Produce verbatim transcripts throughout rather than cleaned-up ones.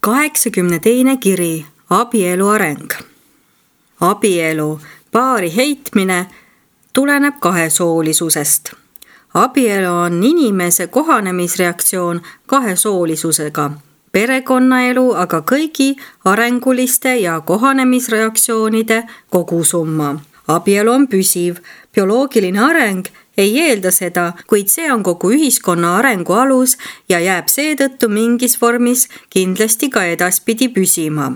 kaheksakümne teine kiri, abielu areng. Abielu, paari heitmine tuleneb kahesoolisusest. Abielu on inimese kohanemisreaktsioon kahesoolisusega, perekonnaelu aga kõigi arenguliste ja kohanemisreaktsioonide kogusumma. Abielu on püsiv, bioloogiline areng ei eelda seda, kuid see on kogu ühiskonna arengu alus ja jääb seetõttu mingis vormis kindlasti ka edaspidi püsima.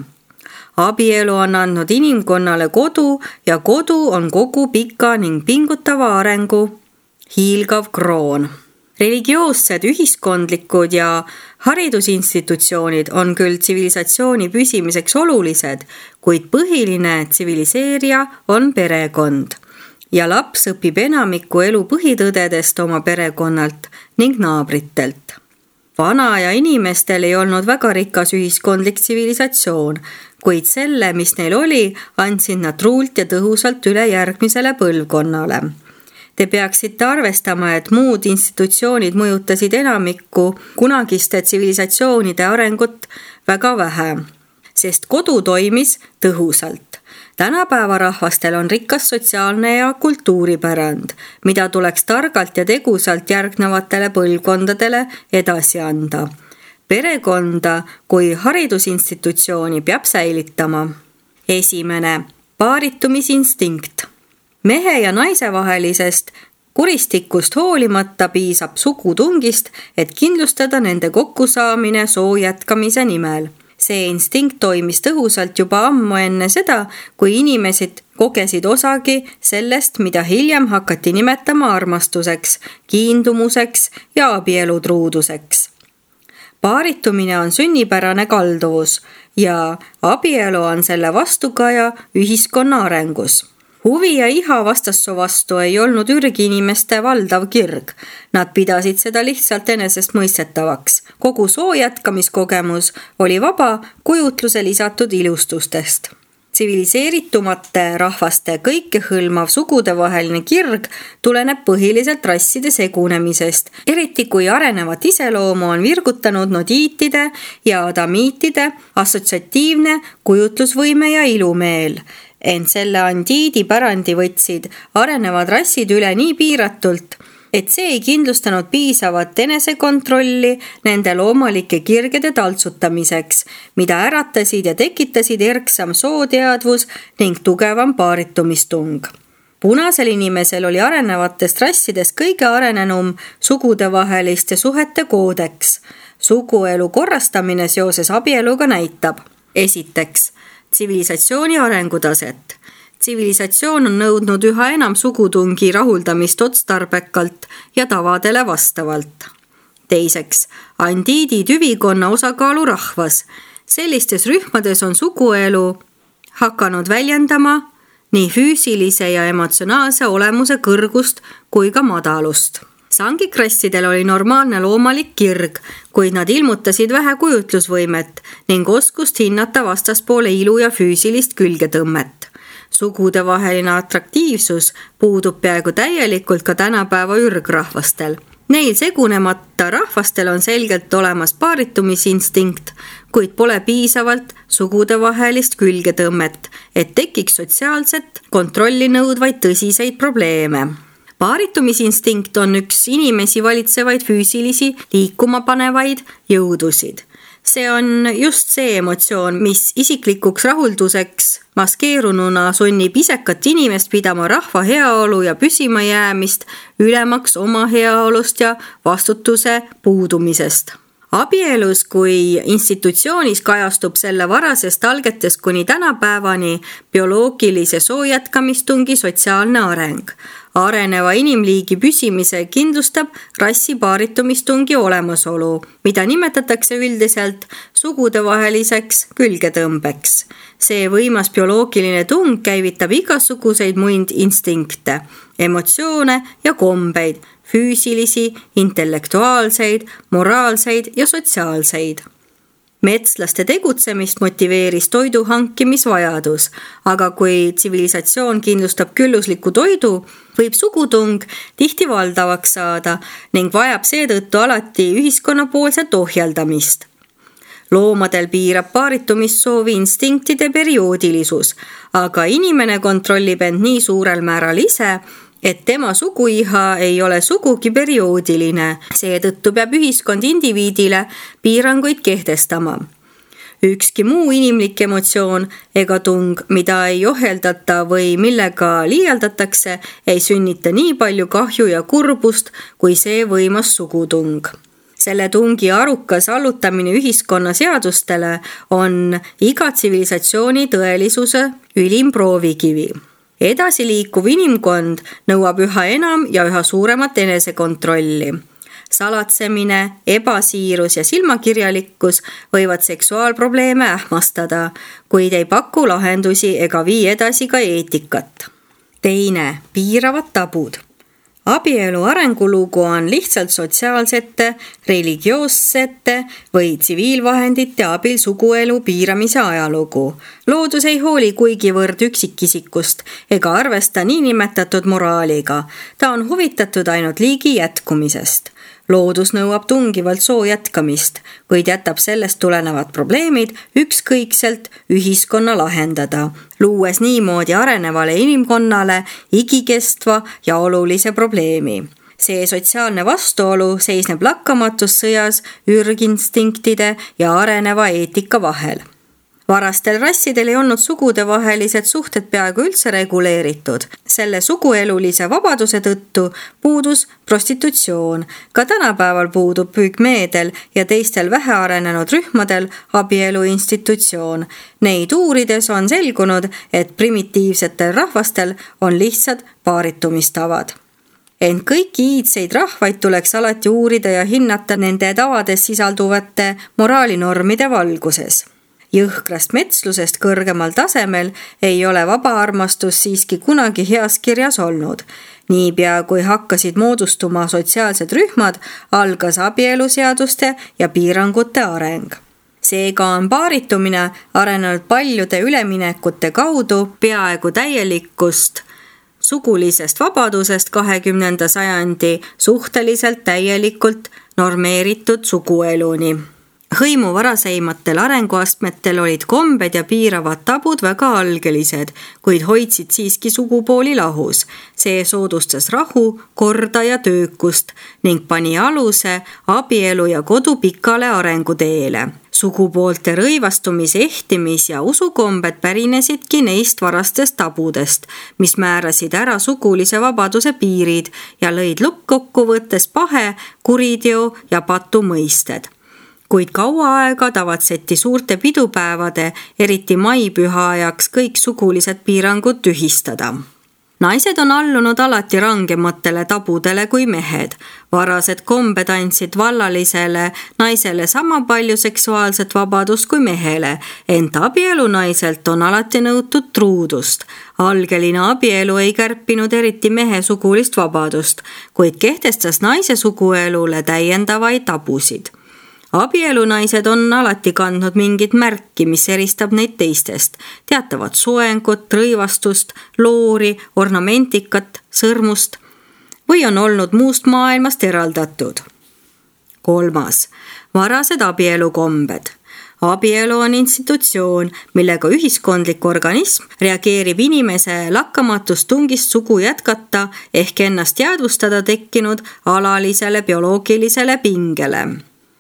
Abielu on andnud inimkonnale kodu ja kodu on kogu pika ning pingutava arengu hiilgav kroon. Religioossed, ühiskondlikud ja haridusinstitutsioonid on küll tsivilisatsiooni püsimiseks olulised, kuid põhiline tsiviliseerija on perekond. Ja laps õpib enamiku elu põhitõdedest oma perekonnalt ning naabritelt. Vana ja inimestel ei olnud väga rikas ühiskondlik tsivilisatsioon, kuid selle, mis neil oli, andsid nad truult ja tõhusalt üle järgmisele põlvkonnale. Te peaksite arvestama, et muud institutsioonid mõjutasid enamikku kunagiste tsivilisatsioonide arengut väga vähe, sest kodu toimis tõhusalt. Tänapäeva rahvastel on rikas sotsiaalne ja kultuuripärand, mida tuleks targalt ja tegusalt järgnevatele põlvkondadele edasi anda. Perekonda kui haridusinstitutsiooni peab säilitama. Esimene, paaritumisinstinkt. Mehe ja naise vahelisest kuristikust hoolimata piisab sugutungist, et kindlustada nende kokkusaamine soo jätkamise nimel. See instinkt toimis tõhusalt juba ammu enne seda, kui inimesed kogesid osagi sellest, mida hiljem hakati nimetama armastuseks, kiindumuseks ja abielutruuduseks. Paaritumine on sünnipärane kalduvus ja abielu on selle vastukaja ühiskonna arengus. Huvi ja iha vastassoo vastu ei olnud ürgi inimeste valdav kirg. Nad pidasid seda lihtsalt enesest mõistetavaks. Kogu soo jätkamiskogemus oli vaba kujutluse lisatud ilustustest. Tsiviliseeritumate rahvaste kõikehõlmav sugudevaheline kirg tuleneb põhiliselt rasside segunemisest, eriti kui arenevat iseloomu on virgutanud nodiitide ja adamiitide assotsiatiivne kujutlusvõime ja ilumeel. Ent selle andiidi pärandi võtsid arenevad rassid üle nii piiratult, et see ei kindlustanud piisavat enesekontrolli nende loomalike kirgede taltsutamiseks, mida äratasid ja tekitasid erksam sooteadvus ning tugevam paaritumistung. Punasel inimesel oli arenevatest rassidest kõige arenenum sugudevaheliste suhete koodeks. Suguelu korrastamine seoses abieluga näitab. Esiteks, tsivilisatsiooni arengutaset. Tsivilisatsioon on nõudnud üha enam sugutungi rahuldamist otstarbekalt ja tavadele vastavalt. Teiseks, andiidi tüvikonna osakaalu rahvas. Sellistes rühmades on suguelu hakanud väljendama nii füüsilise ja emotsionaalse olemuse kõrgust kui ka madalust. Sangikrassidel oli normaalne loomalik kirg, kuid nad ilmutasid vähe kujutlusvõimet ning oskust hinnata vastaspoole ilu ja füüsilist külgetõmmet. Sugudevaheline atraktiivsus puudub peaaegu täielikult ka tänapäeva ürgrahvastel. Neil segunemata rahvastel on selgelt olemas paaritumisinstinkt, kuid pole piisavalt sugudevahelist külgetõmmet, et tekiks sotsiaalset kontrolli nõudvaid tõsiseid probleeme. Paaritumisinstinkt on üks inimesi valitsevaid füüsilisi liikuma panevaid jõudusid. See on just see emotsioon, mis isiklikuks rahulduseks maskeerununa sunnib isekat inimest pidama rahva heaolu ja püsima jäämist ülemaks oma heaolust ja vastutuse puudumisest. Abielus kui institutsioonis kajastub selle varasest algetest kuni tänapäevani bioloogilise soojätkamistungi sotsiaalne areng. Areneva inimliigi püsimise kindlustab rassi paaritumistungi olemasolu, mida nimetatakse üldiselt sugudevaheliseks külgetõmbeks. See võimas bioloogiline tung käivitab igasuguseid muid instinkte, emotsioone ja kombeid, füüsilisi, intellektuaalseid, moraalseid ja sotsiaalseid. Metslaste tegutsemist motiveeris toidu hankimisvajadus, aga kui tsivilisatsioon kindlustab küllusliku toidu, võib sugutung tihti valdavaks saada ning vajab seetõttu alati ühiskonnapoolset ohjeldamist. Loomadel piirab paaritumissoovi instinktide perioodilisus, aga inimene kontrollib end nii suurel määral ise, et tema suguiha ei ole sugugi perioodiline. Seetõttu peab ühiskond indiviidile piiranguid kehtestama. Ükski muu inimlik emotsioon ega tung, mida ei ohjeldata või millega liialdatakse, ei sünnita nii palju kahju ja kurbust, kui see võimas sugutung. Selle tungi arukas allutamine ühiskonna seadustele on iga tsivilisatsiooni tõelisuse ülim proovikivi. Edasi liikuv inimkond nõuab üha enam ja üha suuremat enesekontrolli. Salatsemine, ebasiirus ja silmakirjalikkus võivad seksuaalprobleeme ähmastada, kuid ei paku lahendusi ega vii edasi ka eetikat. Teine, piiravad tabud. Abielu arengulugu on lihtsalt sotsiaalsete, religioossete või tsiviilvahendite abil suguelu piiramise ajalugu. Loodus ei hooli kuigivõrd üksikisikust ega arvesta niinimetatud moraaliga. Ta on huvitatud ainult liigi jätkumisest. Loodus nõuab tungivalt soo jätkamist, kuid jätab sellest tulenevad probleemid ükskõikselt ühiskonna lahendada, luues niimoodi arenevale inimkonnale igikestva ja olulise probleemi. See sotsiaalne vastuolu seisneb lakkamatus sõjas ürginstiktide ja areneva eetika vahel. Varastel rassidel ei olnud sugudevahelised suhted peaaegu üldse reguleeritud. Selle suguelulise vabaduse tõttu puudus prostitutsioon. Ka tänapäeval puudub pügmeedel ja teistel vähearenenud rühmadel abielu institutsioon. Neid uurides on selgunud, et primitiivsetel rahvastel on lihtsad paaritumistavad. Ent kõiki iidseid rahvaid tuleks alati uurida ja hinnata nende tavades sisalduvate moraalinormide valguses. Jõhkrast metslusest kõrgemal tasemel ei ole vaba armastus siiski kunagi heas kirjas olnud. Niipea kui hakkasid moodustuma sotsiaalsed rühmad, algas abieluseaduste ja piirangute areng. Seega on paaritumine arenenud paljude üleminekute kaudu peaaegu täielikust sugulisest vabadusest kahekümnenda sajandi suhteliselt täielikult normeeritud sugueluni. Hõimu varaseimatel arenguastmetel olid kombed ja piiravad tabud väga algelised, kuid hoidsid siiski sugupooli lahus. See soodustas rahu, korda ja töökust ning pani aluse abielu ja kodu pikale arenguteele. Sugupoolte rõivastumise, ehtimis ja usukombed pärinesidki neist varastest tabudest, mis määrasid ära sugulise vabaduse piirid ja lõid lõppkokkuvõttes pahe, kuriteo ja patu mõisted. Kuid kaua aega tavatseti suurte pidupäevade, eriti maipüha ajaks kõik sugulised piirangud tühistada. Naised on allunud alati rangematele tabudele kui mehed. Varased kombed andsid vallalisele naisele sama palju seksuaalset vabadust kui mehele, ent abielu naiselt on alati nõutud truudust. Algeline abielu ei kärpinud eriti mehe sugulist vabadust, kuid kehtestas naise suguelule täiendavaid tabusid. Abielunaised on alati kandnud mingit märki, mis eristab neid teistest. Teatavat soengut, rõivastust, loori, ornamentikat, sõrmust või on olnud muust maailmast eraldatud. Kolmas. Varased abielukombed. Abielu on institutsioon, millega ühiskondlik organism reageerib inimese lakkamatust tungist sugu jätkata ehk ennast jäädvustada tekkinud alalisele bioloogilisele pingele.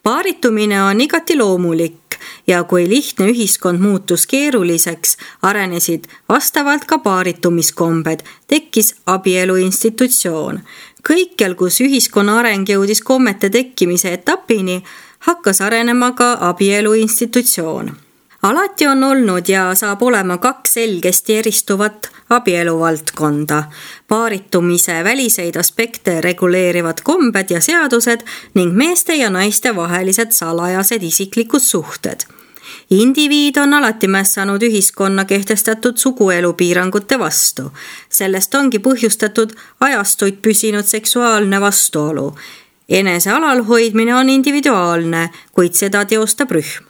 Paaritumine on igati loomulik ja kui lihtne ühiskond muutus keeruliseks, arenesid vastavalt ka paaritumiskombed, tekkis abielu institutsioon. Kõikjal, kus ühiskonna areng jõudis kommete tekkimise etapini, hakkas arenema ka abielu institutsioon. Alati on olnud ja saab olema kaks selgesti eristuvat abieluvaldkonda. Paaritumise väliseid aspekte reguleerivad kombed ja seadused ning meeste ja naiste vahelised salajased isiklikud suhted. Indiviid on alati mässanud ühiskonna kehtestatud suguelu piirangute vastu. Sellest ongi põhjustatud ajastuid püsinud seksuaalne vastuolu. Enese alalhoidmine on individuaalne, kuid seda teostab rühm.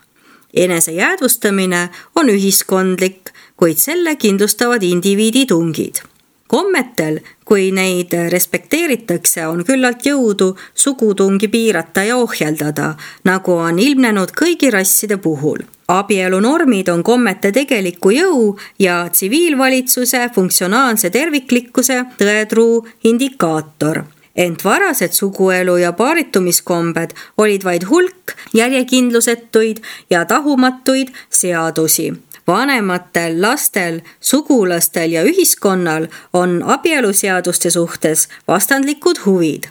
Enese jäädvustamine on ühiskondlik, kuid selle kindlustavad indiviidi tungid. Kommetel, kui neid respekteeritakse, on küllalt jõudu sugutungi piirata ja ohjeldada, nagu on ilmnenud kõigi rasside puhul. Abielunormid on kommete tegeliku jõu ja tsiviilvalitsuse funktsionaalse terviklikkuse tõetruu indikaator. Ent varased suguelu ja paaritumiskombed olid vaid hulk järjekindlusetuid ja tahumatuid seadusi. Vanematel, lastel, sugulastel ja ühiskonnal on abieluseaduste suhtes vastandlikud huvid.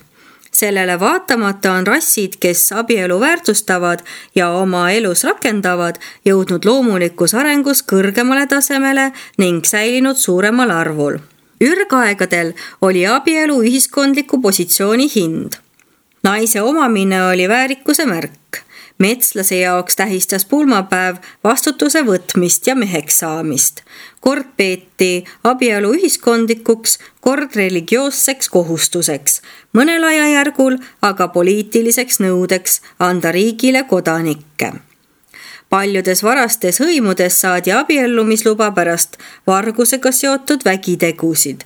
Sellele vaatamata on rassid, kes abielu väärtustavad ja oma elus rakendavad, jõudnud loomulikus arengus kõrgemale tasemele ning säilinud suuremal arvul. Ürgaegadel oli abielu ühiskondliku positsiooni hind. Naise omamine oli väärikuse märk. Metslase jaoks tähistas pulmapäev vastutuse võtmist ja meheks saamist. Kord peeti abielu ühiskondlikuks, kord religioosseks kohustuseks, mõnel ajajärgul aga poliitiliseks nõudeks anda riigile kodanikke. Paljudes varastes hõimudes saadi abiellumisluba pärast vargusega seotud vägitegusid.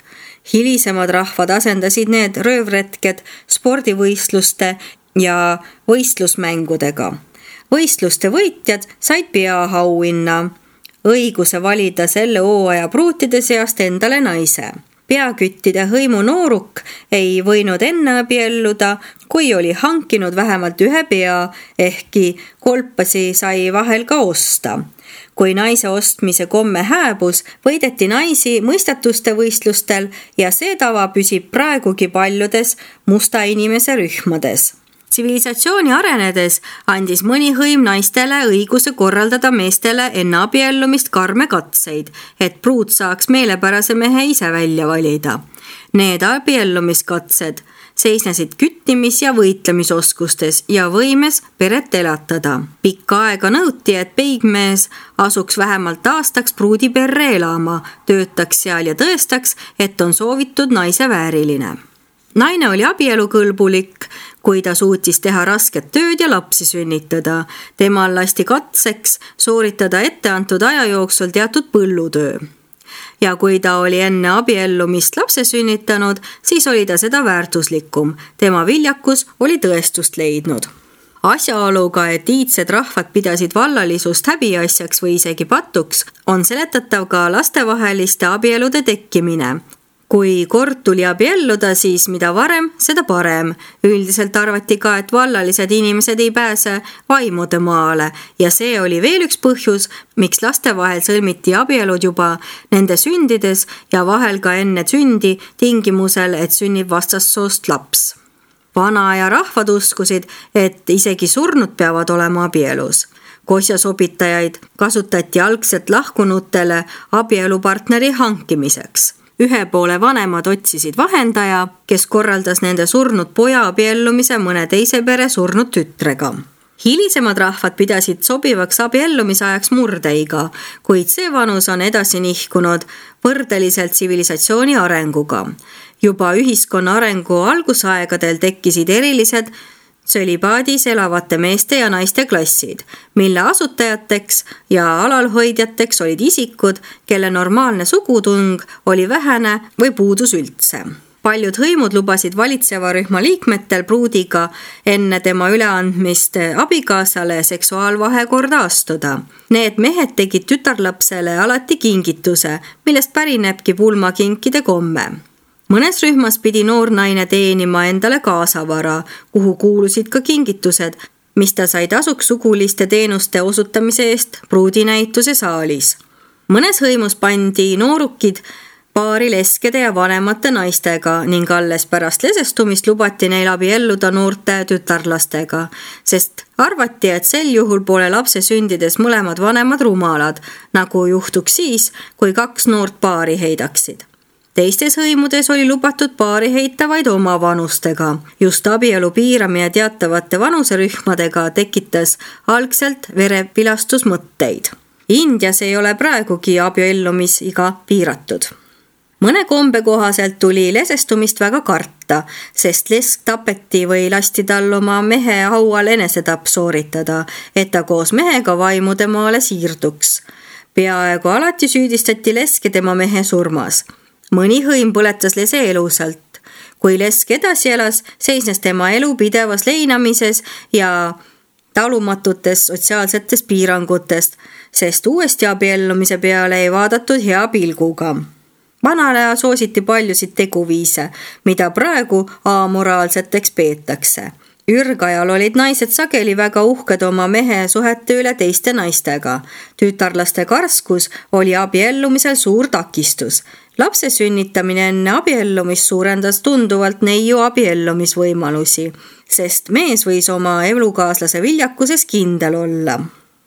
Hilisemad rahvad asendasid need röövretked spordivõistluste ja võistlusmängudega. Võistluste võitjad said peaauhinna, õiguse valida selle hooaja pruutide seast endale naise. Peaküttide hõimu nooruk ei võinud enne abielluda, kui oli hankinud vähemalt ühe pea, ehkki kolpasi sai vahel ka osta. Kui naise ostmise komme hääbus, võideti naisi mõistatuste võistlustel ja see tava püsib praegugi paljudes musta inimese rühmades. Tsivilisatsiooni arenedes andis mõni hõim naistele õiguse korraldada meestele enne abiellumist karme katseid, et pruut saaks meelepärase mehe ise välja valida. Need abiellumiskatsed seisnesid küttimis- ja võitlemisoskustes ja võimes peret elatada. Pikka aega nõuti, et peigmees asuks vähemalt aastaks pruudi perre elama, töötaks seal ja tõestaks, et on soovitud naise vääriline. Naine oli abielukõlbulik, kui ta suutis teha rasket tööd ja lapsi sünnitada. Temal lasti katseks sooritada etteantud aja jooksul teatud põllutöö. Ja kui ta oli enne abiellumist lapse sünnitanud, siis oli ta seda väärtuslikum. Tema viljakus oli tõestust leidnud. Asjaoluga, et iidsed rahvad pidasid vallalisust häbiasjaks või isegi patuks, on seletatav ka lastevaheliste abielude tekkimine. Kui kord tuli abielluda, siis mida varem, seda parem. Üldiselt arvati ka, et vallalised inimesed ei pääse vaimude maale ja see oli veel üks põhjus, miks laste vahel sõlmiti abielud juba nende sündides ja vahel ka enne sündi tingimusel, et sünnib vastassoost laps. Vanaaja rahvad uskusid, et isegi surnud peavad olema abielus. Kosjasobitajaid kasutati algselt lahkunutele abielupartneri hankimiseks. Ühe poole vanemad otsisid vahendaja, kes korraldas nende surnud poja abiellumise mõne teise pere surnud tütrega. Hilisemad rahvad pidasid sobivaks abiellumisajaks murdeiga, kuid see vanus on edasi nihkunud võrdeliselt tsivilisatsiooni arenguga. Juba ühiskonna arengu algusaegadel tekkisid erilised tsölibaadis elavate meeste ja naiste klassid, mille asutajateks ja alalhoidjateks olid isikud, kelle normaalne sugutung oli vähene või puudus üldse. Paljud hõimud lubasid valitseva rühma liikmetel pruudiga enne tema üleandmist abikaasale seksuaalvahekorda astuda. Need mehed tegid tütarlapsele alati kingituse, millest pärinebki pulmakinkide komme. Mõnes rühmas pidi noor naine teenima endale kaasavara, kuhu kuulusid ka kingitused, mis ta sai tasuks suguliste teenuste osutamise eest pruudinäituse saalis. Mõnes hõimus pandi noorukid paari leskede ja vanemate naistega ning alles pärast lesestumist lubati neil abielluda noorte tütarlastega, sest arvati, et sel juhul pole lapse sündides mõlemad vanemad rumalad, nagu juhtuks siis, kui kaks noort paari heidaksid. Teistes hõimudes oli lubatud paari heita vaid oma vanustega. Just abielu piiramine teatavate vanuserühmadega tekitas algselt verepilastusmõtteid. Indias ei ole praegugi abiellumisiga piiratud. Mõne kombe kohaselt tuli lesestumist väga karta, sest lesk tapeti või lasti tal oma mehe haual enesetapp sooritada, et ta koos mehega vaimude maale siirduks. Peaaegu alati süüdistati leske tema mehe surmas. mõni hõim põletas lese elusalt. Kui lesk edasi elas, seisnes tema elu pidevas leinamises ja talumatutes sotsiaalsetes piirangutest, sest uuesti abiellumise peale ei vaadatud hea pilguga. Vanal ajal soositi paljusid teguviise, mida praegu amoraalseteks peetakse. Ürgajal olid naised sageli väga uhked oma mehe suhete üle teiste naistega. Tütarlaste karskus oli abiellumisel suur takistus. Lapse sünnitamine enne abiellumist suurendas tunduvalt neiu abiellumisvõimalusi, sest mees võis oma elukaaslase viljakuses kindel olla.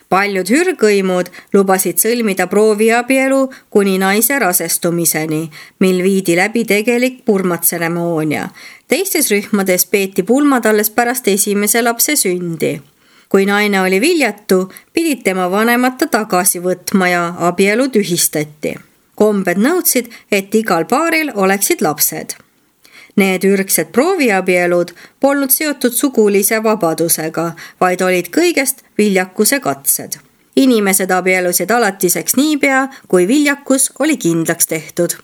Paljud hürgõimud lubasid sõlmida prooviabielu kuni naise rasestumiseni, mil viidi läbi tegelik purmatseremoonia. Teistes rühmades peeti pulmad alles pärast esimese lapse sündi. Kui naine oli viljatu, pidid tema vanemad ta tagasi võtma ja abielu tühistati. Kombed nõudsid, et igal paaril oleksid lapsed. Need ürgsed prooviabielud polnud seotud sugulise vabadusega, vaid olid kõigest viljakuse katsed. Inimesed abielusid alatiseks niipea, kui viljakus oli kindlaks tehtud.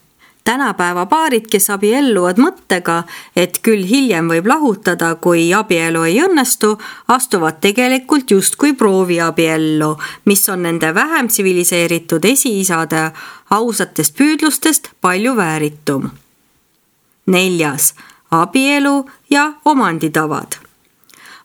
Tänapäeva paarid, kes abielluvad mõttega, et küll hiljem võib lahutada, kui abielu ei õnnestu, astuvad tegelikult justkui prooviabiellu, mis on nende vähem tsiviliseeritud esiisade ausatest püüdlustest palju vääritum. Neljas, abielu ja omanditavad.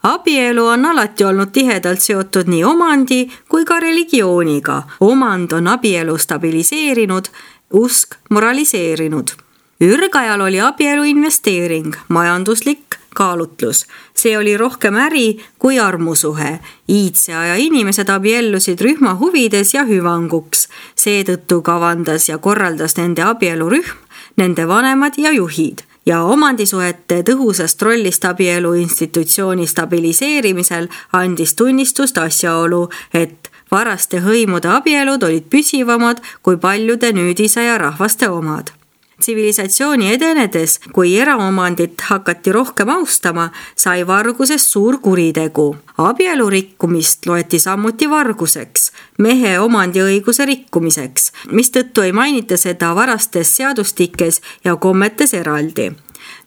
Abielu on alati olnud tihedalt seotud nii omandi kui ka religiooniga. Omand on abielu stabiliseerinud, usk moraliseerinud. Ürgajal oli abielu investeering, majanduslik kaalutlus. See oli rohkem äri kui armusuhe. Iidse aja inimesed abiellusid rühma huvides ja hüvanguks. Seetõttu kavandas ja korraldas nende abielurühm, nende vanemad ja juhid ja omandisuhete tõhusast rollist abielu institutsiooni stabiliseerimisel andis tunnistust asjaolu, et varaste hõimude abielud olid püsivamad kui paljude nüüdisaja rahvaste omad. Tsivilisatsiooni edenedes, kui eraomandit hakati rohkem austama, sai vargusest suur kuritegu. Abielu rikkumist loeti samuti varguseks, mehe omandiõiguse rikkumiseks, mistõttu ei mainita seda varastes seadustikes ja kommetes eraldi.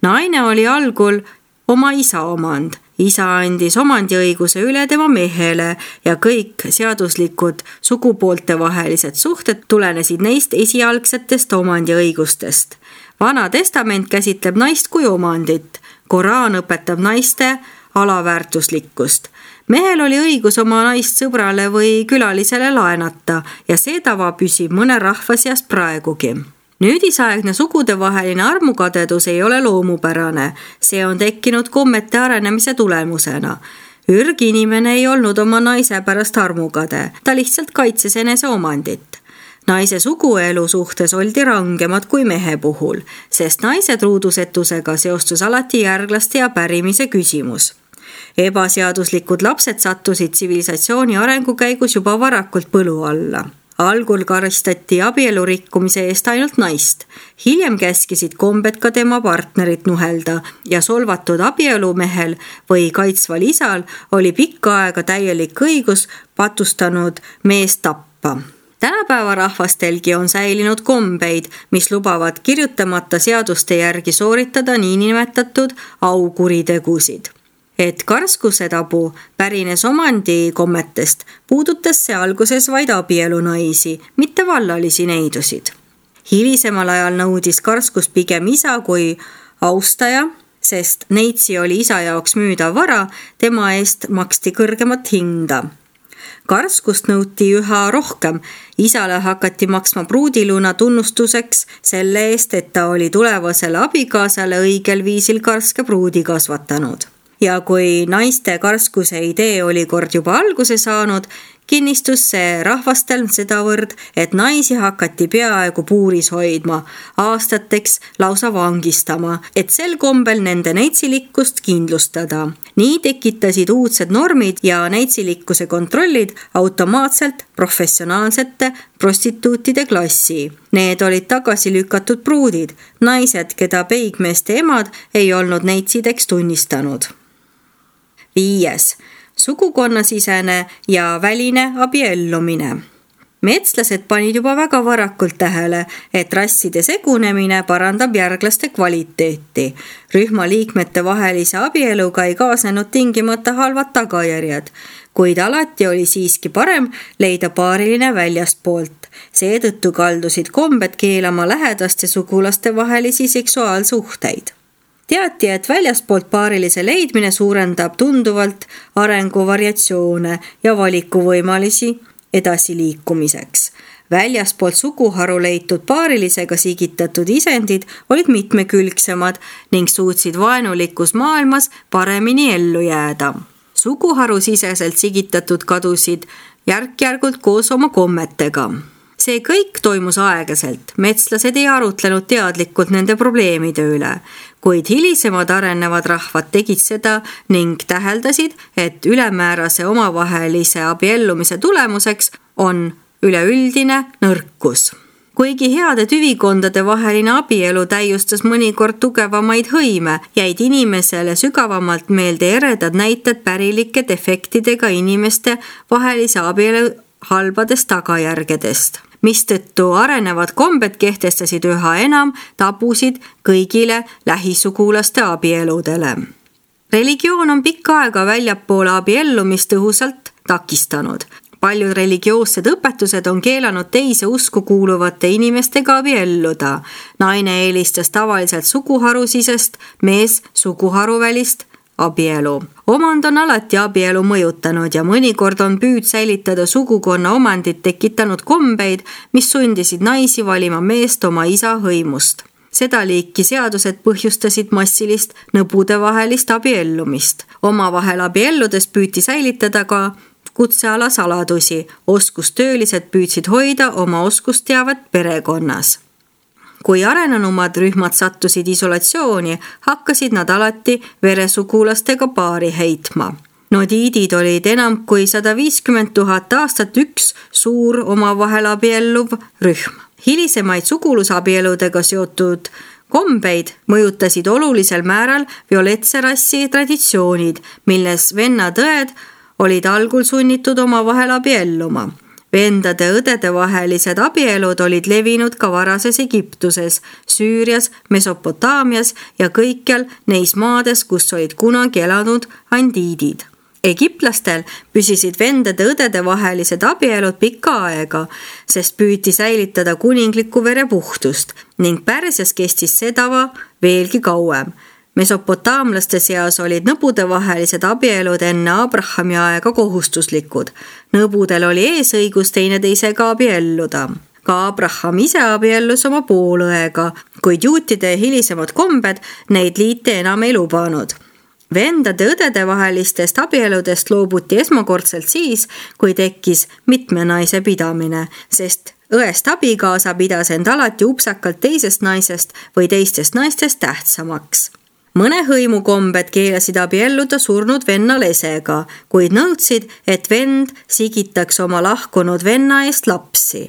Naine oli algul oma isa omand. Isa andis omandiõiguse üle tema mehele ja kõik seaduslikud sugupoolte vahelised suhted tulenesid neist esialgsetest omandiõigustest. Vana testament käsitleb naist kui omandit. Koraan õpetab naiste alaväärtuslikkust. Mehel oli õigus oma naist sõbrale või külalisele laenata ja see tava püsib mõne rahva seas praegugi. Nüüdisaegne sugudevaheline armukadedus ei ole loomupärane, see on tekkinud kommete arenemise tulemusena. Ürginimene ei olnud oma naise pärast armukade, ta lihtsalt kaitses enese omandit. Naise suguelu suhtes oldi rangemad kui mehe puhul, sest naise truudusetusega seostus alati järglaste ja pärimise küsimus. Ebaseaduslikud lapsed sattusid tsivilisatsiooni arengu käigus juba varakult põlu alla. Algul karistati abielu rikkumise eest ainult naist. Hiljem käskisid kombed ka tema partnerit nuhelda ja solvatud abielumehel või kaitsval isal oli pikka aega täielik õigus patustanud meest tappa. Tänapäeva rahvastelgi on säilinud kombeid, mis lubavad kirjutamata seaduste järgi sooritada niinimetatud aukuritegusid. Et karskuse tabu pärines omandi kommetest, puudutas see alguses vaid abielu naisi, mitte vallalisi neidusid. Hilisemal ajal nõudis karskus pigem isa kui austaja, sest neitsi oli isa jaoks müüdav vara, tema eest maksti kõrgemat hinda. Karskust nõuti üha rohkem, isale hakati maksma pruudiluna tunnustuseks selle eest, et ta oli tulevasele abikaasale õigel viisil karske pruudi kasvatanud. Ja kui naiste karskuse idee oli kord juba alguse saanud, kinnistus see rahvastel sedavõrd, et naisi hakati peaaegu puuris hoidma, aastateks lausa vangistama, et sel kombel nende neitsilikkust kindlustada. Nii tekitasid uudsed normid ja neitsilikkuse kontrollid automaatselt professionaalsete prostituutide klassi. Need olid tagasi lükatud pruudid, naised, keda peigmeeste emad ei olnud neitsideks tunnistanud. Viies, sugukonnasisene ja väline abiellumine. Metslased panid juba väga varakult tähele, et rasside segunemine parandab järglaste kvaliteeti. Rühma liikmete vahelise abieluga ei kaasnenud tingimata halvad tagajärjed, kuid alati oli siiski parem leida paariline väljastpoolt. Seetõttu kaldusid kombed keelama lähedaste sugulaste vahelisi seksuaalsuhteid. Teati, et väljastpoolt paarilise leidmine suurendab tunduvalt arenguvariatsioone ja valikuvõimalisi edasiliikumiseks. Väljastpoolt suguharu leitud paarilisega sigitatud isendid olid mitmekülgsemad ning suutsid vaenulikus maailmas paremini ellu jääda. Suguharu siseselt sigitatud kadusid järk-järgult koos oma kommetega. See kõik toimus aeglaselt, metslased ei arutlenud teadlikult nende probleemide üle, kuid hilisemad arenevad rahvad tegid seda ning täheldasid, et ülemäärase omavahelise abiellumise tulemuseks on üleüldine nõrkus. Kuigi heade tüvikondade vaheline abielu täiustas mõnikord tugevamaid hõime, jäid inimesele sügavamalt meelde eredad näited pärilike defektidega inimeste vahelise abielu halbadest tagajärgedest, mistõttu arenevad kombed kehtestasid üha enam tabusid kõigile lähisugulaste abieludele. Religioon on pikka aega väljapoole abiellumist tõhusalt takistanud. Paljud religioossed õpetused on keelanud teise usku kuuluvate inimestega abielluda. Naine eelistas tavaliselt suguharusisest, mees suguharuvälist abielu. Omand on alati abielu mõjutanud ja mõnikord on püüd säilitada sugukonna omandit tekitanud kombeid, mis sundisid naisi valima meest oma isa hõimust. Seda liiki seadused põhjustasid massilist nõbude vahelist abiellumist. Omavahel abielludes püüti säilitada ka kutseala saladusi. Oskustöölised püüdsid hoida oma oskusteavet perekonnas. Kui arenenumad rühmad sattusid isolatsiooni, hakkasid nad alati veresugulastega paari heitma. Nodiidid olid enam kui sada viiskümmend tuhat aastat üks suur omavahel abielluv rühm. Hilisemaid sugulusabieludega seotud kombeid mõjutasid olulisel määral violetse rassi traditsioonid, milles vennatõed olid algul sunnitud omavahel abielluma. Vendade-õdede vahelised abielud olid levinud ka varases Egiptuses, Süürias, Mesopotaamias ja kõikjal neis maades, kus olid kunagi elanud andiidid. Egiptlastel püsisid vendade-õdede vahelised abielud pikka aega, sest püüti säilitada kuninglikku verepuhtust ning Pärsias kestis sedava veelgi kauem. Mesopotaamlaste seas olid nõbude vahelised abielud enne Abrahami aega kohustuslikud. Nõbudel oli eesõigus teineteisega abielluda. Ka Abraham ise abiellus oma poolõega, kuid juutide hilisemad kombed neid liite enam ei lubanud. Vendade-õdede vahelistest abieludest loobuti esmakordselt siis, kui tekkis mitme naise pidamine, sest õest abikaasa pidas end alati upsakalt teisest naisest või teistest naistest tähtsamaks. Mõne hõimu kombed keelasid abielluda surnud venna lesega, kuid nõudsid, et vend sigitaks oma lahkunud venna eest lapsi.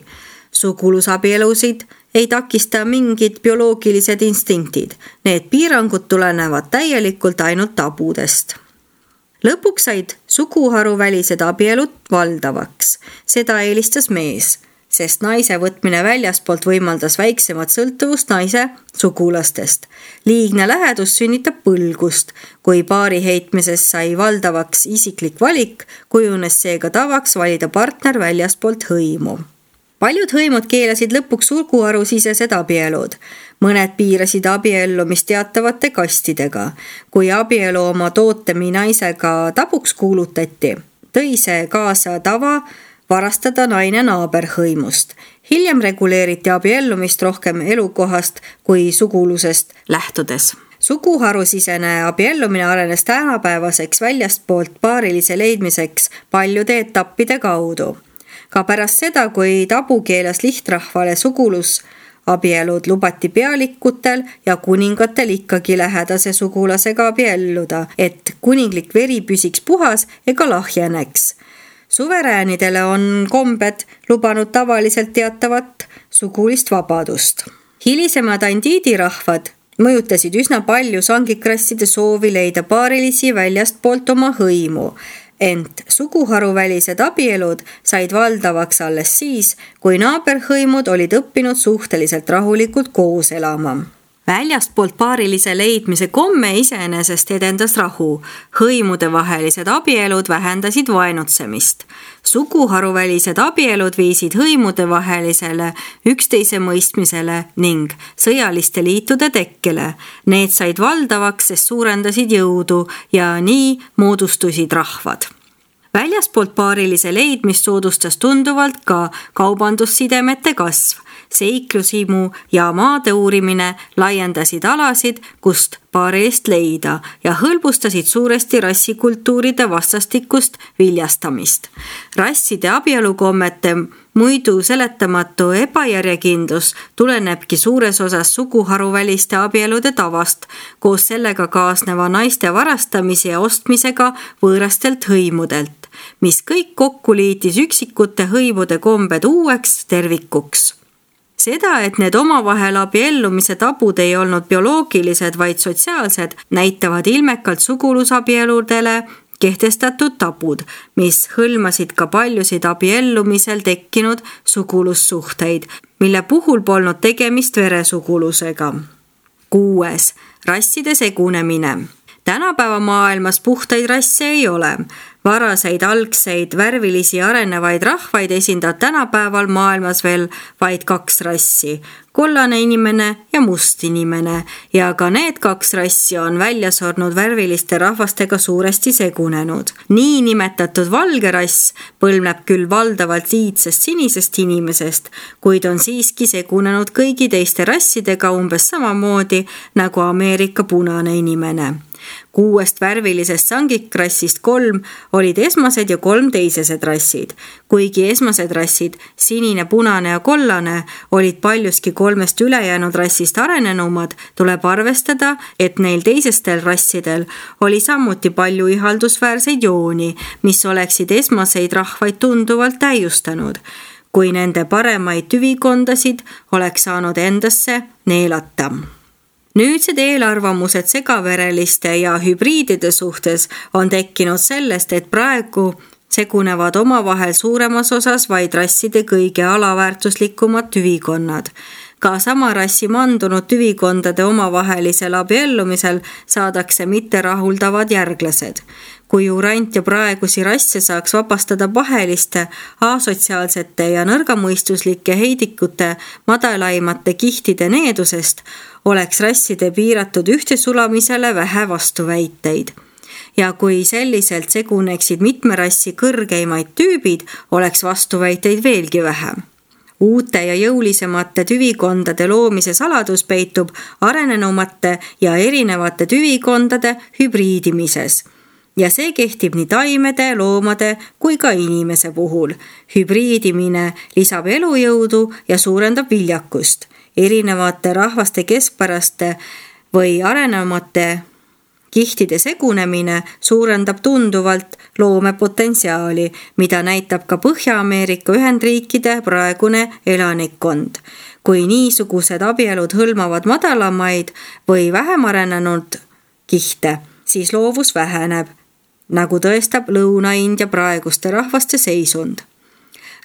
Sugulusabielusid ei takista mingid bioloogilised instinktid. Need piirangud tulenevad täielikult ainult tabudest. Lõpuks said suguharuvälised abielud valdavaks. Seda eelistas mees, sest naise võtmine väljaspoolt võimaldas väiksemat sõltuvust naise sugulastest. Liigne lähedus sünnitab põlgust. Kui paari heitmises sai valdavaks isiklik valik, kujunes seega tavaks valida partner väljaspoolt hõimu. Paljud hõimud keelasid lõpuks suguharusisesed abielud. Mõned piirasid abiellumist teatavate kastidega. Kui abielu oma tootemi naisega tabuks kuulutati, tõi see kaasa tava varastada naine naaberhõimust. Hiljem reguleeriti abiellumist rohkem elukohast kui sugulusest lähtudes. Suguharusisene abiellumine arenes tänapäevaseks väljastpoolt paarilise leidmiseks paljude etappide kaudu. Ka pärast seda, kui tabu keelas lihtrahvale sugulusabielud, lubati pealikutel ja kuningatel ikkagi lähedase sugulasega abielluda, et kuninglik veri püsiks puhas ega lahjeneks. Suveräänidele on kombed lubanud tavaliselt teatavat sugulist vabadust. Hilisemad andiidirahvad mõjutasid üsna palju sangikrasside soovi leida paarilisi väljastpoolt oma hõimu, Ent suguharuvälised abielud said valdavaks alles siis, kui naaberhõimud olid õppinud suhteliselt rahulikult koos elama. Väljastpoolt paarilise leidmise komme iseenesest edendas rahu. Hõimude vahelised abielud vähendasid vaenutsemist. Suguharuvälised abielud viisid hõimude vahelisele üksteise mõistmisele ning sõjaliste liitude tekkele. Need said valdavaks, sest suurendasid jõudu ja nii moodustusid rahvad. Väljaspoolt paarilise leidmist soodustas tunduvalt ka kaubandussidemete kasv. Seiklusimu ja maade uurimine laiendasid alasid, kust paarilist leida ja hõlbustasid suuresti rassikultuuride vastastikust viljastamist. Rasside abielukommete muidu seletamatu ebajärjekindlus tulenebki suures osas suguharuväliste abielude tavast, koos sellega kaasneva naiste varastamise ja ostmisega võõrastelt hõimudelt, mis kõik kokku liitis üksikute hõimude kombed uueks tervikuks. Seda, et need omavahel abiellumise tabud ei olnud bioloogilised, vaid sotsiaalsed, näitavad ilmekalt sugulusabieludele kehtestatud tabud, mis hõlmasid ka paljusid abiellumisel tekkinud sugulussuhteid, mille puhul polnud tegemist veresugulusega. Kuues. Rasside segunemine. Tänapäeva maailmas puhtaid rasse ei ole. Varaseid, algseid, värvilisi arenevaid rahvaid esindab tänapäeval maailmas veel vaid kaks rassi, kollane inimene ja must inimene, ja ka need kaks rassi on välja surnud värviliste rahvastega suuresti segunenud. Nii nimetatud valge rass põlvneb küll valdavalt liidsest sinisest inimesest, kuid on siiski segunenud kõigi teiste rassidega umbes samamoodi nagu Ameerika punane inimene. Kuuest värvilisest sangikrassist kolm olid esmased ja kolm teisesed rassid. Kuigi esmased rassid, sinine, punane ja kollane, olid paljuski kolmest ülejäänud rassist arenenumad, tuleb arvestada, et neil teisestel rassidel oli samuti palju ihaldusväärseid jooni, mis oleksid esmaseid rahvaid tunduvalt täiustanud, kui nende paremaid tüvikondasid oleks saanud endasse neelata. Nüüdsed eelarvamused segavereliste ja hübriidide suhtes on tekkinud sellest, et praegu segunevad omavahel suuremas osas vaid rasside kõige alaväärtuslikumad tüvikonnad. Ka sama rassi mandunud tüvikondade omavahelisel abiellumisel saadakse mitterahuldavad järglased. Kui urant ja praegusi rasse saaks vabastada paheliste, asotsiaalsete ja nõrgamõistuslike heidikute madalaimate kihtide needusest, oleks rasside piiratud ühtesulamisele vähe vastuväiteid. Ja kui selliselt seguneksid mitme rassi kõrgeimaid tüübid, oleks vastuväiteid veelgi vähem. Uute ja jõulisemate tüvikondade loomise saladus peitub arenenumate ja erinevate tüvikondade hübriidimises. Ja see kehtib nii taimede, loomade kui ka inimese puhul. Hübriidimine lisab elujõudu ja suurendab viljakust. Erinevate rahvaste keskpäraste või arenevate kihtide segunemine suurendab tunduvalt loomepotentsiaali, mida näitab ka Põhja-Ameerika Ühendriikide praegune elanikkond. Kui niisugused abielud hõlmavad madalamaid või vähem arenenud kihte, siis loovus väheneb, nagu tõestab Lõuna-India praeguste rahvaste seisund.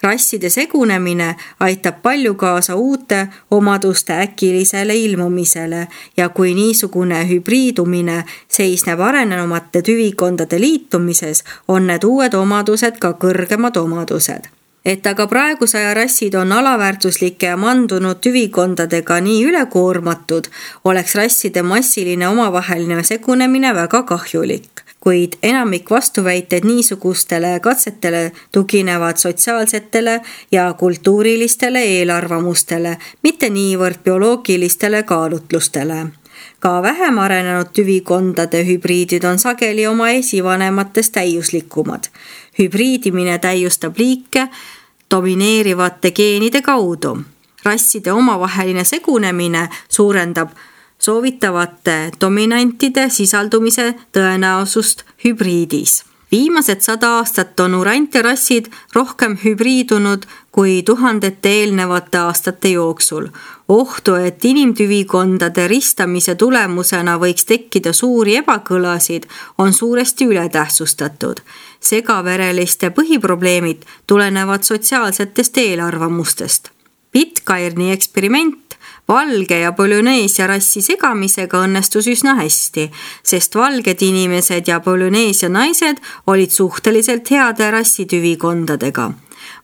Rasside segunemine aitab palju kaasa uute omaduste äkilisele ilmumisele ja kui niisugune hübriidumine seisneb arenenumate tüvikondade liitumises, on need uued omadused ka kõrgemad omadused. Et aga praegusaja rassid on alaväärtuslike ja mandunud tüvikondadega nii ülekoormatud, oleks rasside massiline omavaheline segunemine väga kahjulik. Kuid enamik vastuväiteid niisugustele katsetele tuginevad sotsiaalsetele ja kultuurilistele eelarvamustele, mitte niivõrd bioloogilistele kaalutlustele. Ka vähem arenenud tüvikondade hübriidid on sageli oma esivanematest täiuslikumad. Hübriidimine täiustab liike domineerivate geenide kaudu. Rasside omavaheline segunemine suurendab soovitavate dominantide sisaldumise tõenäosust hübriidis. Viimased sada aastat on urantirassid rohkem hübriidunud kui tuhandete eelnevate aastate jooksul. Ohtu, et inimtüvikondade ristamise tulemusena võiks tekkida suuri ebakõlasid, on suuresti ületähtsustatud. Segavereliste põhiprobleemid tulenevad sotsiaalsetest eelarvamustest. Pitcairni eksperiment valge ja Polüneesia rassi segamisega õnnestus üsna hästi, sest valged inimesed ja Polüneesia naised olid suhteliselt heade rassitüvikondadega.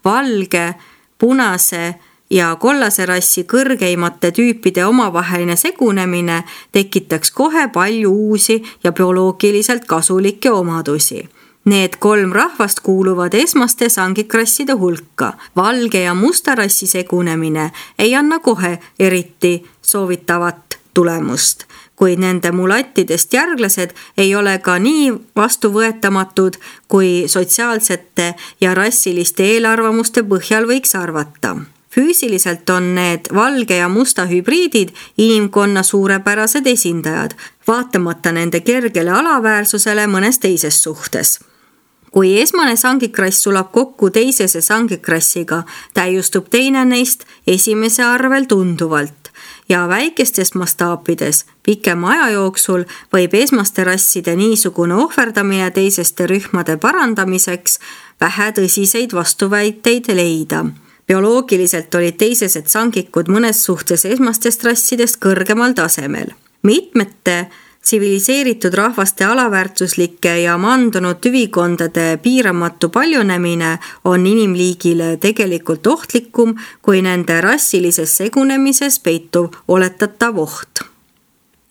Valge, punase ja kollase rassi kõrgeimate tüüpide omavaheline segunemine tekitaks kohe palju uusi ja bioloogiliselt kasulikke omadusi. Need kolm rahvast kuuluvad esmaste sangikrasside hulka. Valge ja musta rassi segunemine ei anna kohe eriti soovitavat tulemust, kuid nende mulattidest järglased ei ole ka nii vastuvõetamatud, kui sotsiaalsete ja rassiliste eelarvamuste põhjal võiks arvata. Füüsiliselt on need valge ja musta hübriidid inimkonna suurepärased esindajad, vaatamata nende kergele alaväärsusele mõnes teises suhtes. Kui esmane sangikrass sulab kokku teisese sangikrassiga, täiustub teine neist esimese arvel tunduvalt ja väikestes mastaapides pikema aja jooksul võib esmaste rasside niisugune ohverdamine teiseste rühmade parandamiseks vähe tõsiseid vastuväiteid leida. Bioloogiliselt olid teisesed sangikud mõnes suhtes esmastest rassidest kõrgemal tasemel. Mitmete tsiviliseeritud rahvaste alaväärtuslike ja mandunud tüvikondade piiramatu paljunemine on inimliigile tegelikult ohtlikum kui nende rassilises segunemises peituv oletatav oht.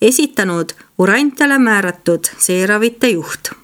Esitanud urantale määratud seeravite juht.